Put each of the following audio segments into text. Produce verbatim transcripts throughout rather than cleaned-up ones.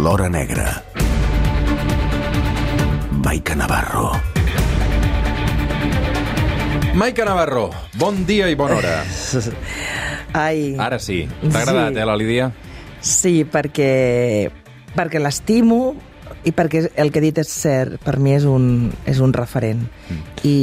l'hora negra. Maica Navarro. Maica Navarro, bon dia i bona hora. Ai. Ara sí. T'ha agradat, sí. eh, la Lídia? Sí, perquè, perquè l'estimo i perquè el que he dit és cert. Per mi és un, és un referent. Mm. I,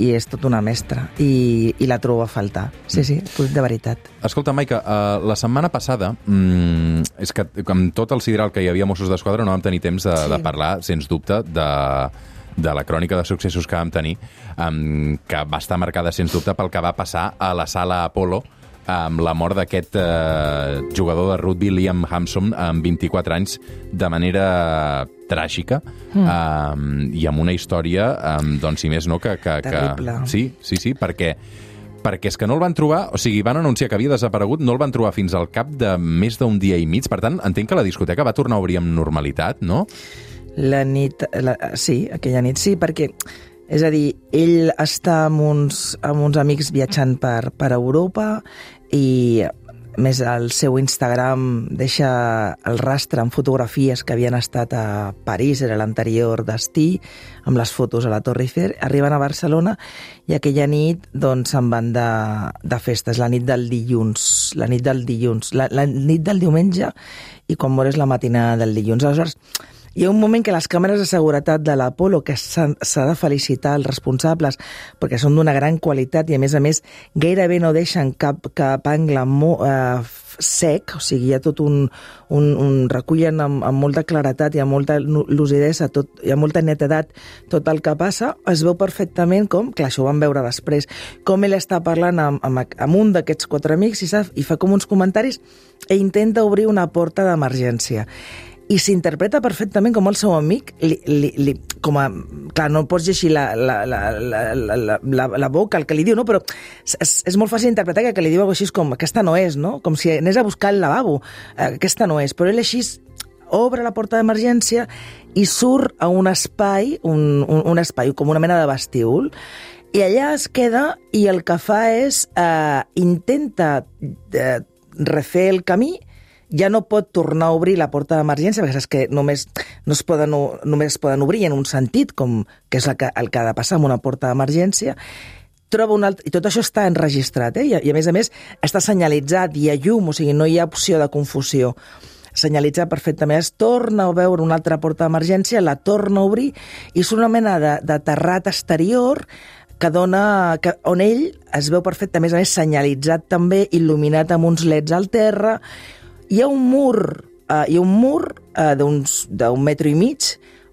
I és tot una mestra. I, i la trobo a faltar. Sí, sí, de veritat. Escolta, Maica, uh, la setmana passada, mm, és que amb tot el sideral que hi havia Mossos d'Esquadra no vam tenir temps de, sí. de parlar, sens dubte, de... de la crònica de successos que vam tenir, um, que va estar marcada, sens dubte, pel que va passar a la sala Apollo amb la mort d'aquest uh, jugador de rugby, Liam Hampson, amb vint-i-quatre anys, de manera tràgica, mm. um, i amb una història, um, doncs, si més no, que... que, que... Terrible. Sí, sí, sí, perquè... perquè és que no el van trobar, o sigui, van anunciar que havia desaparegut, no el van trobar fins al cap de més d'un dia i mig, per tant, entenc que la discoteca va tornar a obrir amb normalitat, no? La nit, la, sí, aquella nit sí, perquè, és a dir, ell està amb uns, amb uns amics viatjant per, per Europa i, més, el seu Instagram deixa el rastre amb fotografies que havien estat a París, era l'anterior destí, amb les fotos a la Torre Eiffel, arriben a Barcelona i aquella nit doncs se'n van de, de festes, la nit del dilluns, la nit del dilluns, la, la nit del diumenge i quan mores la matinada del dilluns. Aleshores, hi ha un moment que les càmeres de seguretat de l'Apollo, que s'ha de felicitar els responsables perquè són d'una gran qualitat i a més a més gairebé no deixen cap, cap angle mo, eh, sec, o sigui, hi ha tot un... un, un recullen amb, amb molta claretat i amb molta lucidesa, tot, hi ha molta netedat tot el que passa, es veu perfectament com, clar, això ho vam veure després, com ell està parlant amb, amb, amb un d'aquests quatre amics i, sap, i fa com uns comentaris i intenta obrir una porta d'emergència. I s'interpreta perfectament com el seu amic, li, li, li, com a... Clar, no pots llegir la, la, la, la, la, la, la boca, el que li diu, no? Però és, és molt fàcil interpretar que, que li diu alguna cosa així com aquesta no és, no? Com si anés a buscar el lavabo. Aquesta no és. Però ell així obre la porta d'emergència i surt a un espai, un, un, un espai com una mena de vestíbul, i allà es queda i el que fa és eh, intenta eh, refer el camí. Ja no pot tornar a obrir la porta d'emergència perquè saps que només, no es poden, només es poden obrir en un sentit, com que és el que, el que ha de passar amb una porta d'emergència. Troba un altre, i tot això està enregistrat, eh? I, i a més a més està senyalitzat, hi ha llum, o sigui, no hi ha opció de confusió. Senyalitzat perfectament, es torna a veure una altra porta d'emergència, la torna a obrir i és una mena de, de terrat exterior que dona, que, on ell es veu perfectament, a més a més senyalitzat també, il·luminat amb uns leds al terra. Hi ha un mur, uh, hi ha un mur uh, d'un metro i mig,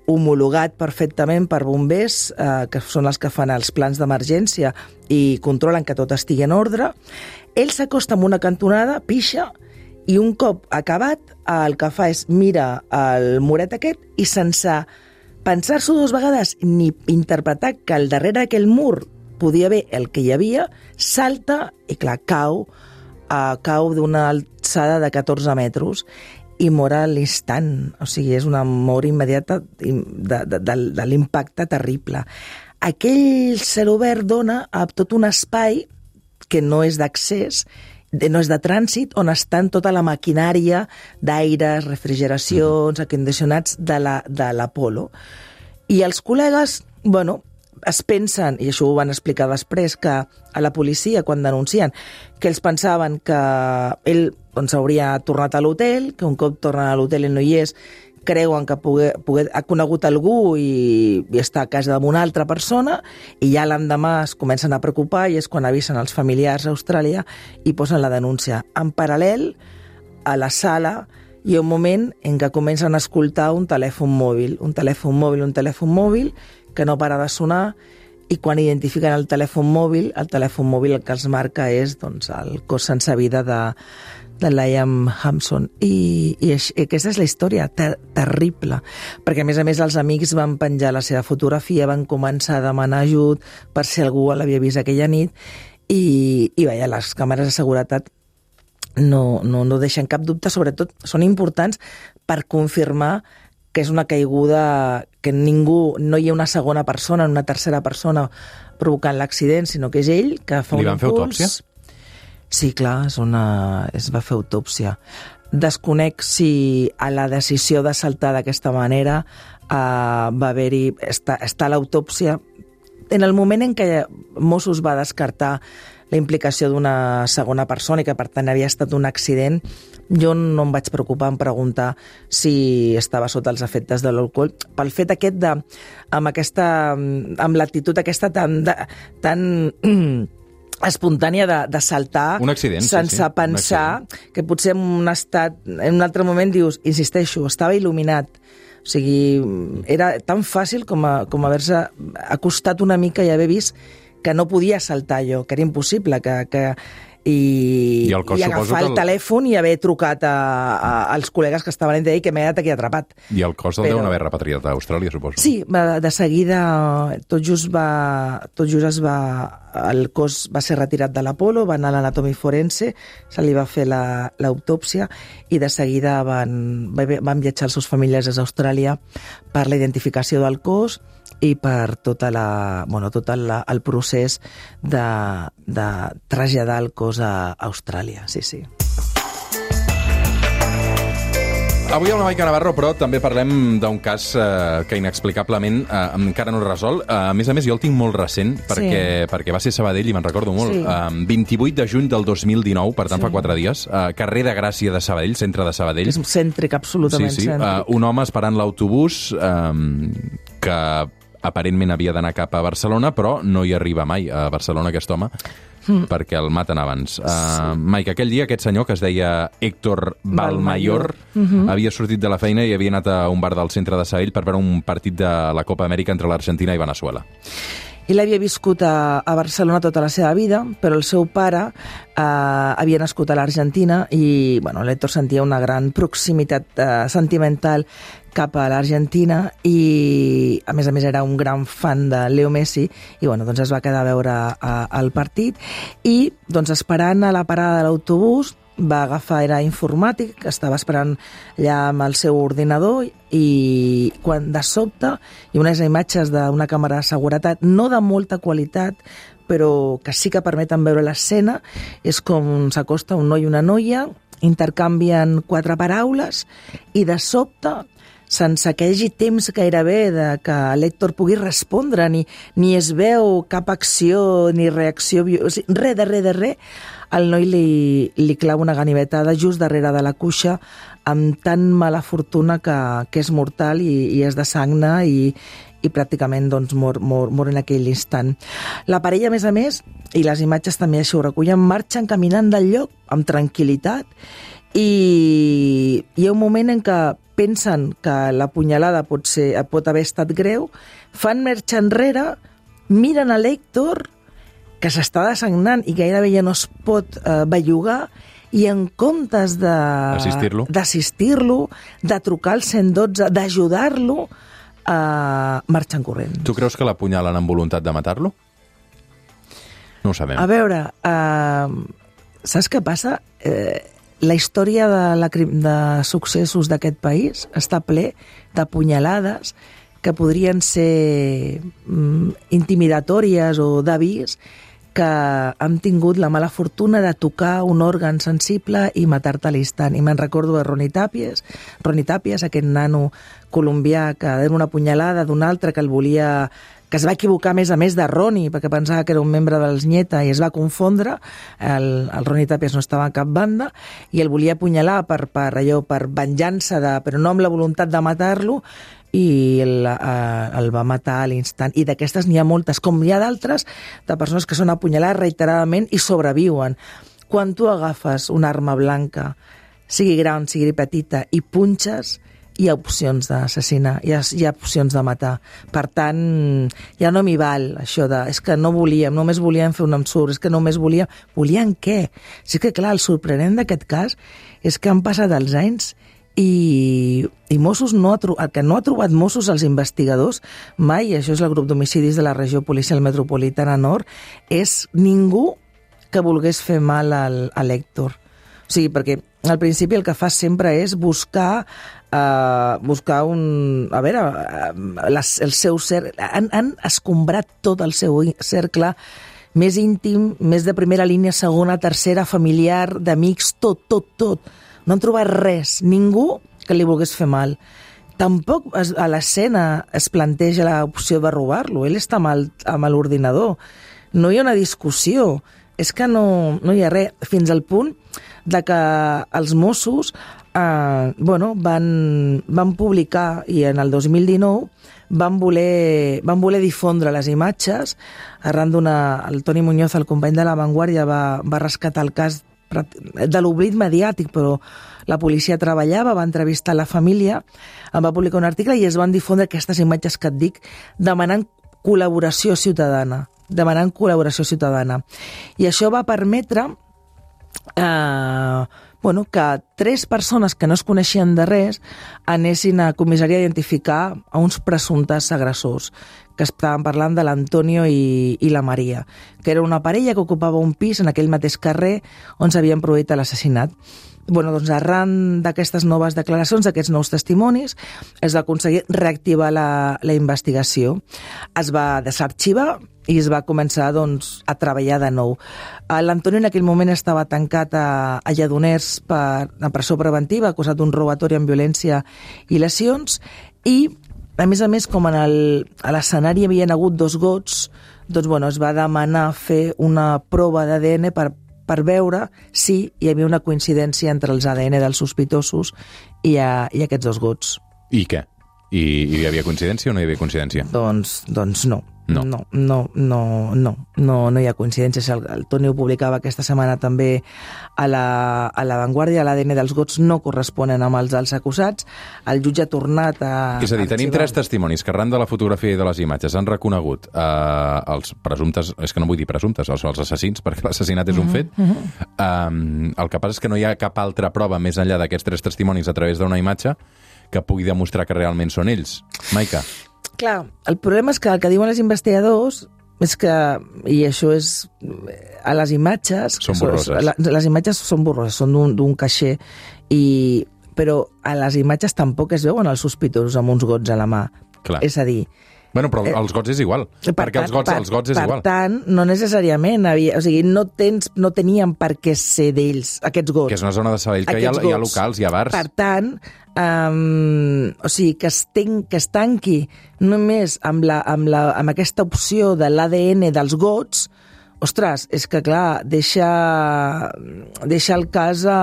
homologat perfectament per bombers, uh, que són els que fan els plans d'emergència i controlen que tot estigui en ordre. Ell s'acosta amb una cantonada, pixa, i un cop acabat, el que fa és mira el muret aquest i sense pensar-s'ho dues vegades ni interpretar que al darrere d'aquell mur podia haver el que hi havia, salta i clar, cau, uh, cau d'una alçada de catorze metres i mor a l'instant. O sigui, és una mort immediata de, de, de, de l'impacte terrible. Aquell cel obert dona a tot un espai que no és d'accés, no és de trànsit, on estan tota la maquinària d'aires, refrigeracions, acondicionats de l'Apollo. I els col·legues, bueno, es pensen, i això ho van explicar després, que a la policia, quan denuncien, que ells pensaven que ell doncs, hauria tornat a l'hotel, que un cop tornen a l'hotel i no hi és, creuen que poder, poder, ha conegut algú i, i està a casa d'una altra persona i ja l'endemà es comencen a preocupar i és quan avisen els familiars a Austràlia i posen la denúncia. En paral·lel, a la sala hi ha un moment en què comencen a escoltar un telèfon mòbil, un telèfon mòbil, un telèfon mòbil que no para de sonar i quan identifiquen el telèfon mòbil, el telèfon mòbil el que els marca és doncs, el cos sense vida de, de Liam Hampson. I, i, i aquesta és la història, ter terrible, perquè a més a més els amics van penjar la seva fotografia, van començar a demanar ajut per si algú l'havia vist aquella nit i, i veia, les càmeres de seguretat no, no, no deixen cap dubte, sobretot són importants per confirmar que és una caiguda que ningú, no hi ha una segona persona, una tercera persona provocant l'accident, sinó que és ell que fa un impuls. Li van fer autòpsia? Sí, clar, és una... es va fer autòpsia. desconec si a la decisió de saltar d'aquesta manera uh, va haver-hi... Està, està l'autòpsia. En el moment en què Mossos va descartar la implicació d'una segona persona i que per tant havia estat un accident, jo no em vaig preocupar en preguntar si estava sota els efectes de l'alcohol, pel fet aquest de, amb aquesta, amb l'actitud aquesta tan, de, tan espontània de, de saltar un accident, sense sí, sí. pensar que potser en un estat, en un altre moment dius, insisteixo, estava il·luminat. O sigui, era tan fàcil com, a, com haver-se acostat una mica i haver vist que no podia saltar jo, que era impossible, que, que, i, I, el cos, i agafar el el... telèfon i haver trucat a, a, als col·legues que estaven allà i que m'he quedat aquí atrapat. I el cos el Però... deuen haver repatriat a Austràlia, suposo. Sí, de seguida tot just va, tot just es va, el cos va ser retirat de l'Apolo, va anar a l'anatomi forense, se li va fer l'autòpsia i de seguida van, van viatjar els seus familiars des d'Austràlia per la identificació del cos i per tota la, bueno, tot el, el procés de, de traslladar el cos a Austràlia, sí, sí. Avui amb la Maica Navarro, però també parlem d'un cas eh, que inexplicablement eh, encara no és resolt. Eh, a més a més, jo el tinc molt recent, perquè, sí. perquè va ser Sabadell i me'n recordo molt. Sí. Eh, vint-i-vuit de juny del dos mil dinou, per tant sí. fa quatre dies, eh, carrer de Gràcia de Sabadell, centre de Sabadell. És cèntric, absolutament sí, sí. cèntric. Eh, un home esperant l'autobús eh, que aparentment havia d'anar cap a Barcelona, però no hi arriba mai a Barcelona aquest home, mm. perquè el maten abans. Sí. Uh, Maica, aquell dia aquest senyor, que es deia Héctor Balmayor, mm-hmm. havia sortit de la feina i havia anat a un bar del centre de Sabadell per veure un partit de la Copa Amèrica entre l'Argentina i Veneçuela. Ell havia viscut a, a Barcelona tota la seva vida, però el seu pare eh, havia nascut a l'Argentina i bueno, l'Héctor sentia una gran proximitat eh, sentimental cap a l'Argentina i, a més a més, era un gran fan de Leo Messi i bueno, doncs es va quedar a veure a, el partit i doncs, esperant a la parada de l'autobús va agafar, era informàtic, estava esperant allà amb el seu ordinador i quan de sobte hi ha unes imatges d'una càmera de seguretat, no de molta qualitat, però que sí que permeten veure l'escena, és com s'acosta un noi i una noia, intercanvien quatre paraules i de sobte, sense que hi hagi temps gairebé de que l'Héctor pugui respondre, ni, ni es veu cap acció ni reacció, o sigui, res de res de res, el noi li, li clava una ganivetada just darrere de la cuixa amb tan mala fortuna que, que és mortal i, i és de sagna i, i pràcticament doncs, mor, mor, mor en aquell instant. La parella, a més a més, i les imatges també així ho recullen, marxen caminant del lloc amb tranquil·litat i hi ha un moment en què pensen que la punyalada pot, ser, pot haver estat greu, fan marxa enrere, miren a l'Héctor, que s'està desagnant i gairebé ja no es pot eh, bellugar, i en comptes de d'assistir-lo, d'assistir-lo, de trucar al cent dotze, d'ajudar-lo, eh, marxen corrent. Tu creus que l'apunyalen amb voluntat de matar-lo? No ho sabem. A veure, eh, saps què passa? Eh, la història de, la, de successos d'aquest país està ple de punyalades que podrien ser mm, intimidatòries o d'avís que han tingut la mala fortuna de tocar un òrgan sensible i matar-te a l'instant. I me'n recordo de Ronnie Tàpies, Ronnie Tàpies, aquest nano colombià que era una punyalada d'un altre que el volia, que es va equivocar a més a més de Ronnie, perquè pensava que era un membre dels Nieta i es va confondre, el, el Ronnie Tàpies no estava a cap banda, i el volia apunyalar per, per, allò, per venjança, de, però no amb la voluntat de matar-lo, i el, eh, el va matar a l'instant. I d'aquestes n'hi ha moltes, com hi ha d'altres, de persones que són apunyalades reiteradament i sobreviuen. Quan tu agafes una arma blanca, sigui gran, sigui petita, i punxes, hi ha opcions d'assassinar, hi ha, hi ha opcions de matar. Per tant, ja no m'hi val això de, és que no volíem, només volíem fer un ensurt, és que només volíem... Volien què? Sí que, clar, el sorprenent d'aquest cas és que han passat els anys i, i Mossos no ha trobat, el que no ha trobat Mossos els investigadors mai, això és el grup d'homicidis de la regió policial metropolitana nord, és ningú que volgués fer mal al, a l'Héctor. O sigui, perquè al principi el que fa sempre és buscar uh, buscar un... A veure, uh, les, el seu cercle... Han, han escombrat tot el seu cercle més íntim, més de primera línia, segona, tercera, familiar, d'amics, tot, tot, tot. No han trobat res, ningú que li volgués fer mal. Tampoc es, a l'escena es planteja l'opció de robar-lo. Ell està amb, el, amb l'ordinador. No hi ha una discussió. És que no, no hi ha res. Fins al punt de que els Mossos eh, bueno, van, van publicar, i en el dos mil dinou van voler, van voler difondre les imatges. Arran d'una... El Toni Muñoz, el company de La Vanguardia, va, va rescatar el cas de l'oblit mediàtic, però la policia treballava, va entrevistar la família, en va publicar un article i es van difondre aquestes imatges que et dic, demanant col·laboració ciutadana, demanant col·laboració ciutadana. I això va permetre eh, bueno, que tres persones que no es coneixien de res anessin a comissaria a identificar a uns presumptes agressors, que estaven parlant de l'Antonio i, i la Maria, que era una parella que ocupava un pis en aquell mateix carrer on s'havien produït l'assassinat. Bueno, doncs arran d'aquestes noves declaracions, d'aquests nous testimonis, es va aconseguir reactivar la, la investigació. Es va desarxivar i es va començar doncs, a treballar de nou. L'Antonio en aquell moment estava tancat a, a Lledoners per a presó preventiva, acusat d'un robatori amb violència i lesions, i a més a més, com en el, a l'escenari hi havia hagut dos gots, doncs bueno, es va demanar fer una prova d'A D N per, per veure si hi havia una coincidència entre els A D N dels sospitosos i, a, i aquests dos gots. I què? I, I hi havia coincidència o no hi havia coincidència? Doncs, doncs no. No. No, no, no, no, no, no hi ha coincidències. El, el Toni ho publicava aquesta setmana també a la, a la Vanguardia. L'A D N dels gots no corresponen amb els dels acusats. El jutge ha tornat a... És a dir, tenim tres testimonis que arran de la fotografia i de les imatges han reconegut eh, els presumptes, és que no vull dir presumptes, els, els assassins, perquè l'assassinat és un fet. Uh-huh. um, el que passa és que no hi ha cap altra prova més enllà d'aquests tres testimonis a través d'una imatge que pugui demostrar que realment són ells. Maica. Clar, el problema és que el que diuen els investigadors és que, i això és a les imatges... Són borroses. Les, les imatges són borroses, són d'un caixer, i, però a les imatges tampoc es veuen els sospitosos amb uns gots a la mà. Clar. És a dir... Bueno, però eh, els gots és igual, per perquè tant, els gots, per, els gots és per igual. Per tant, no necessàriament havia... O sigui, no, tens, no tenien per què ser d'ells, aquests gots. Que és una zona de Sabadell que hi ha, hi ha locals, hi ha bars. Per tant, um, o sigui, que es, ten, que es tanqui només amb, la, amb, la, amb aquesta opció de l'A D N dels gots, ostres, és que clar, deixa, deixa el cas a,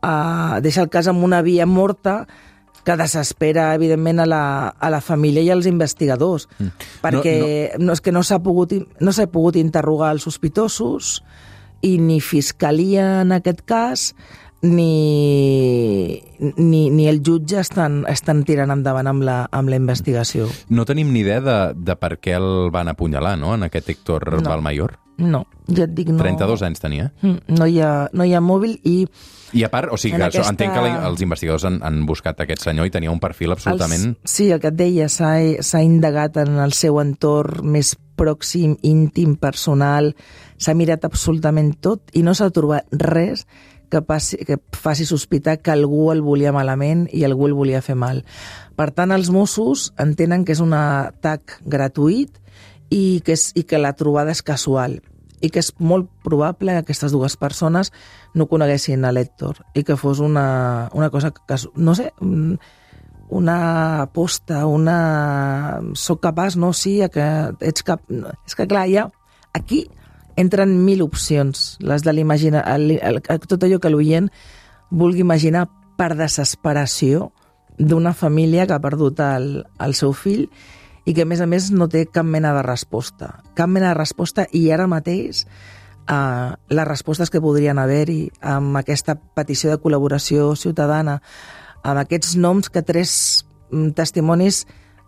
a, deixa el cas amb una via morta que desespera, evidentment, a la, a la família i als investigadors, mm. perquè no, no. No, és que no s'ha pogut, no s'ha pogut interrogar els sospitosos i ni fiscalia en aquest cas ni, ni, ni el jutge estan, estan tirant endavant amb la, amb la investigació. No tenim ni idea de, de per què el van apunyalar, no?, en aquest Héctor no. Balmayor? No, ja et dic, no... trenta-dos anys tenia. No hi ha, no hi ha mòbil i... I a part, o sigui, que aquesta... entenc que la, els investigadors han, han buscat aquest senyor i tenia un perfil absolutament... Els, sí, el que et deia, s'ha indagat en el seu entorn més pròxim, íntim, personal, s'ha mirat absolutament tot i no s'ha trobat res que, passi, que faci sospitar que algú el volia malament i algú el volia fer mal. Per tant, els Mossos entenen que és un atac gratuït i que, és, i que la trobada és casual i que és molt probable que aquestes dues persones no coneguessin a l'Héctor i que fos una, una cosa que, no sé, una aposta, una... Soc capaç, no? Sí, que ets cap... És que clar, ja aquí entren mil opcions, les de l'imaginar, tot allò que l'oient vulgui imaginar per desesperació d'una família que ha perdut el, el seu fill i que, a més a més, no té cap mena de resposta. Cap mena de resposta, i ara mateix eh, les respostes que podrien haver-hi amb aquesta petició de col·laboració ciutadana, amb aquests noms que tres testimonis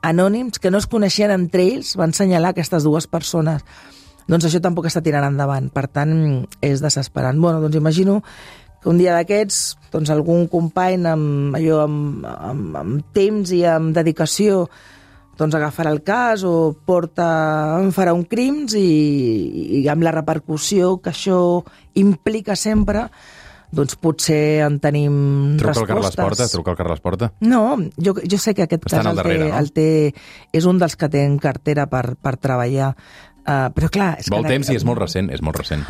anònims que no es coneixien entre ells van assenyalar aquestes dues persones. Doncs això tampoc està tirant endavant. Per tant, és desesperant. Bueno, doncs imagino que un dia d'aquests, doncs algun company amb, allò, amb, amb, amb temps i amb dedicació doncs agafarà el cas o porta, farà un crims i, i amb la repercussió que això implica sempre, doncs potser en tenim truca respostes. Truca el Carles Porta? Truca el Carles Porta? No, jo, jo sé que aquest Estan cas el, darrere, té, no? el té, és un dels que té en cartera per, per treballar. Uh, però clar... És Vol que temps i és molt recent, és molt recent.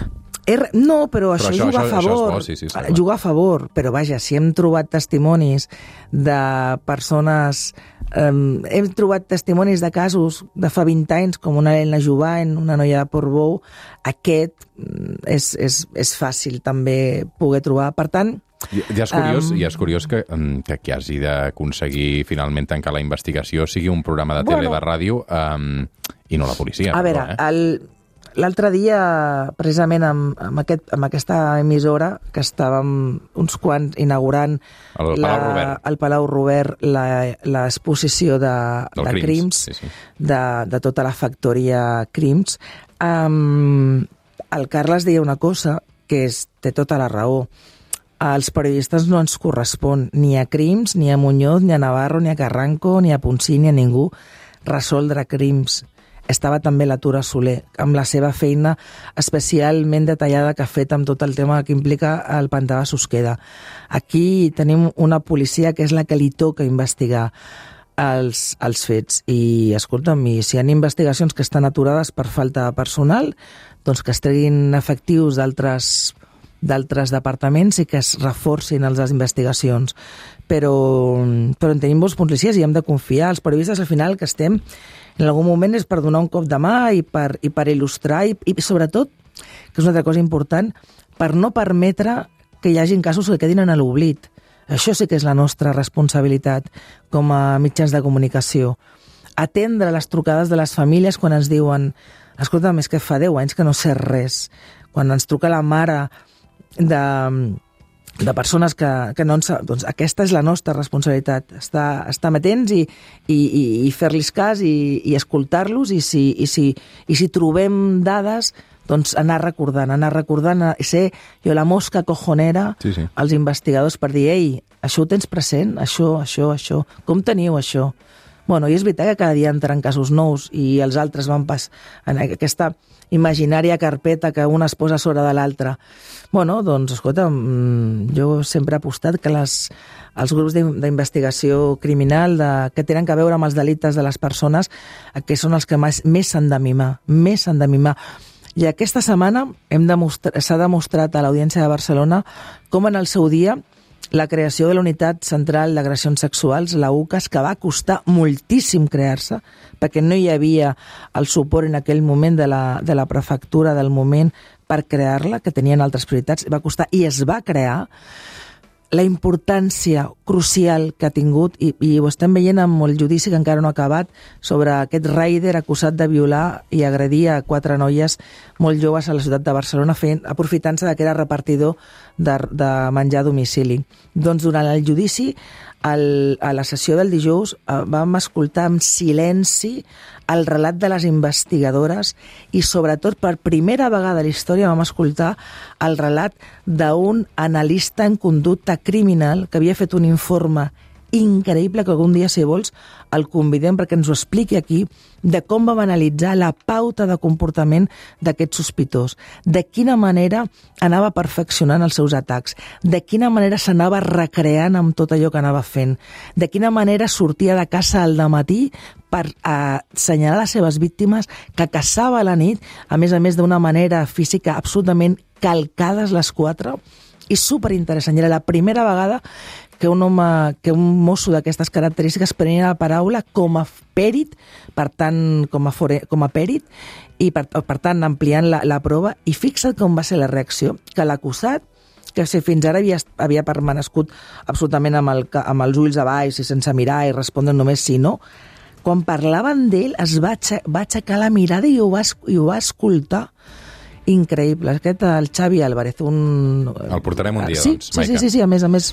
Er, no, però, però això, això juga això, a favor. Això és bo, sí, sí, juga a favor, però vaja, si hem trobat testimonis de persones... Um, hem trobat testimonis de casos de fa vint anys, com una Helena Jovany, una noia de Portbou, aquest és, és, és fàcil també poder trobar. Per tant... Ja és curiós, um, ja és curiós que, que qui hagi d'aconseguir finalment tancar la investigació sigui un programa de tele, bueno, de ràdio, um, i no la policia. A però, veure, eh? el... L'altre dia, precisament amb, amb, aquest, amb aquesta emissora, que estàvem uns quants inaugurant el Palau la, Robert, el Palau Robert l'exposició de, de Crims, Crims, sí, sí. De, de tota la factoria Crims, um, el Carles deia una cosa que és, té tota la raó. Als periodistes no ens correspon ni a Crims, ni a Muñoz, ni a Navarro, ni a Carranco, ni a Ponsí, ni a ningú resoldre crims. Estava també la Tura Soler, amb la seva feina especialment detallada que ha fet amb tot el tema que implica el pantà de Susqueda. Aquí tenim una policia que és la que li toca investigar els, els fets. I, escolta'm, i si hi ha investigacions que estan aturades per falta de personal, doncs que es treguin efectius d'altres d'altres departaments i que es reforcin les investigacions. Però, però en tenim molts policies i hem de confiar. Els periodistes, al final, que estem en algun moment és per donar un cop de mà i per, i per il·lustrar i, i sobretot, que és una altra cosa important, per no permetre que hi hagin casos que quedin en l'oblit. Això sí que és la nostra responsabilitat com a mitjans de comunicació. Atendre les trucades de les famílies quan ens diuen escolta'm, és que fa deu anys que no sé res. Quan ens truca la mare de... de persones que, que no en sap, doncs aquesta és la nostra responsabilitat, estar, estar amatents i, i, i, i fer-los cas i, i escoltar-los i si, i, si, i si trobem dades, doncs anar recordant, anar recordant, ser jo la mosca cojonera sí, sí. als investigadors per dir, ei, això ho tens present, això, això, això, com teniu això? Bueno, i és veritat que cada dia entren casos nous i els altres van pas en aquesta imaginària carpeta que una es posa sobre de l'altra. Bueno, doncs, escolta, jo sempre he apostat que les, els grups d'investigació criminal de, que tenen a veure amb els delictes de les persones, que són els que més, més s'han de mimar, més s'han de mimar. I aquesta setmana hem demostrat, s'ha demostrat a l'Audiència de Barcelona com en el seu dia la creació de la Unitat Central d'Agressions Sexuals, la U C A S, que va costar moltíssim crear-se, perquè no hi havia el suport en aquell moment de la, de la prefectura del moment per crear-la, que tenien altres prioritats, va costar i es va crear. La importància crucial que ha tingut, i, i ho estem veient amb el judici que encara no ha acabat, sobre aquest raider acusat de violar i agredir a quatre noies molt joves a la ciutat de Barcelona, fent, aprofitant-se que era repartidor de, de menjar a domicili. Doncs durant el judici, el, a la sessió del dijous, vam escoltar amb silenci el relat de les investigadores i sobretot per primera vegada a la història vam escoltar el relat d'un analista en conducta criminal que havia fet un informe increïble, que algun dia, si vols, el convidem perquè ens ho expliqui aquí, de com vam analitzar la pauta de comportament d'aquest sospitós, de quina manera anava perfeccionant els seus atacs, de quina manera s'anava recreant amb tot allò que anava fent, de quina manera sortia de casa al dematí per assenyalar les seves víctimes, que caçava a la nit, a més a més d'una manera física absolutament calcades les quatre, i superinteressant. Era la primera vegada que un home, que un mosso d'aquestes característiques prenia la paraula com a pèrit, per tant, com a, fore, com a pèrit, i per, per tant, ampliant la, la prova, i fixa't com va ser la reacció, que l'acusat, que si fins ara havia, havia permanescut absolutament amb, el, amb els ulls a baix i sense mirar i respondre només sí no, quan parlaven d'ell es va, va aixecar la mirada i ho va, i ho va escoltar. Increïble. Aquest, el Xavi Álvarez, un... El portarem un dia, sí, doncs, sí, sí, sí, sí, a més a més,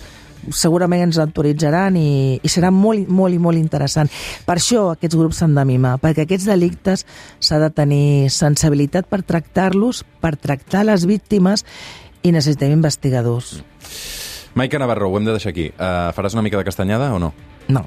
segurament ens autoritzaran i, i serà molt, molt i molt interessant. Per això aquests grups s'han de mimar, perquè aquests delictes s'ha de tenir sensibilitat per tractar-los, per tractar les víctimes, i necessitem investigadors. Maica Navarro, ho hem de deixar aquí. Uh, faràs una mica de castanyada o no? No.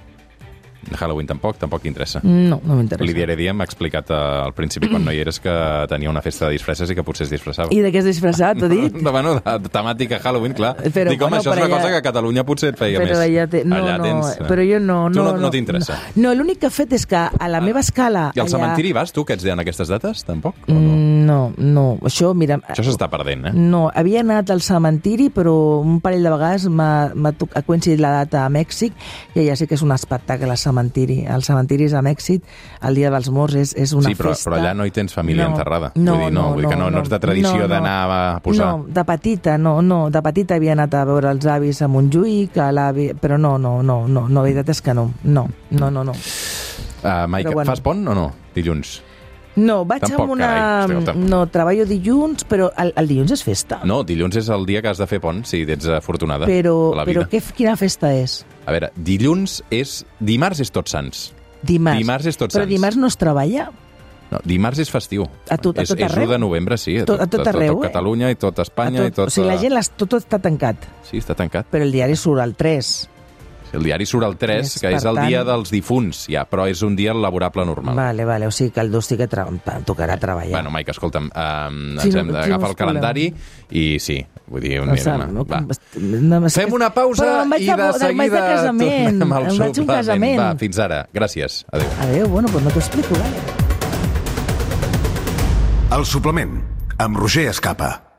Halloween tampoc, tampoc t'interessa. No, no m'interessa. Lídia Heredia m'ha explicat uh, al principi, quan no hi eres, que tenia una festa de disfresses i que potser es disfressava. I de què és disfressat, t'ho dit? De, bueno, de, de temàtica Halloween, clar. Però, Dic, home, bueno, això és una allà... cosa que a Catalunya potser et feia però més. Allà te... No, allà no, tens... però jo no... Tu no, no, no t'interessa? No, no l'únic que he fet és que a la meva escala... I al allà... cementiri vas, tu, que ets en aquestes dates, tampoc? O no? Mm, no, no. Això, mira... Això s'està perdent, eh? No, havia anat al cementiri, però un parell de vegades m'ha coincidit la data a Mèxic i allà sí que és un espectacle al cementiri. El cementiri és a Mèxic, el dia dels morts és, és una sí, però, festa. però allà no hi tens família no, enterrada. No, vull dir, no, no, vull dir que no, no, no ets de tradició no, no, d'anar a posar... No, de petita, no, no. De petita havia anat a veure els avis a Montjuïc, a l'avi... Però no, no, no, no, no, la veritat és que no. No, no, no, no. Uh, Maica, bueno. Fas pont o no, dilluns? No, vaig tampoc, amb una... Carai, escolta. No, treballo dilluns, però el, el dilluns és festa. No, dilluns és el dia que has de fer pont, si ets afortunada però, a la vida. Però què, quina festa és? A veure, dilluns és... Dimarts és Tots Sants. Dimarts. Dimarts és Tots Però Sants. dimarts no es treballa? No, dimarts és festiu. A tot, a tot és, arreu? És u de novembre, sí. A tot, a tot arreu, a tot, eh? Catalunya i tot Espanya. Tot, I tot, o sigui, la gent, les, tot, tot està tancat. Sí, està tancat. Però el diari surt al tres. El diari surt el tres, És, que és el tant... dia dels difunts, ja, però és un dia laborable normal. Vale, vale, o sigui que el dos sí que tra... tocarà treballar. Bueno, Maica, escolta'm, um, sí, ens hem no, d'agafar no el calendari i sí, vull dir, no, mira, no, va. No, no, Fem una pausa i de seguida tornem al suplement. Va, fins ara. Gràcies. Adéu. Adéu, bueno, pues no t'ho explico, vale? El suplement, amb Roger Escapa.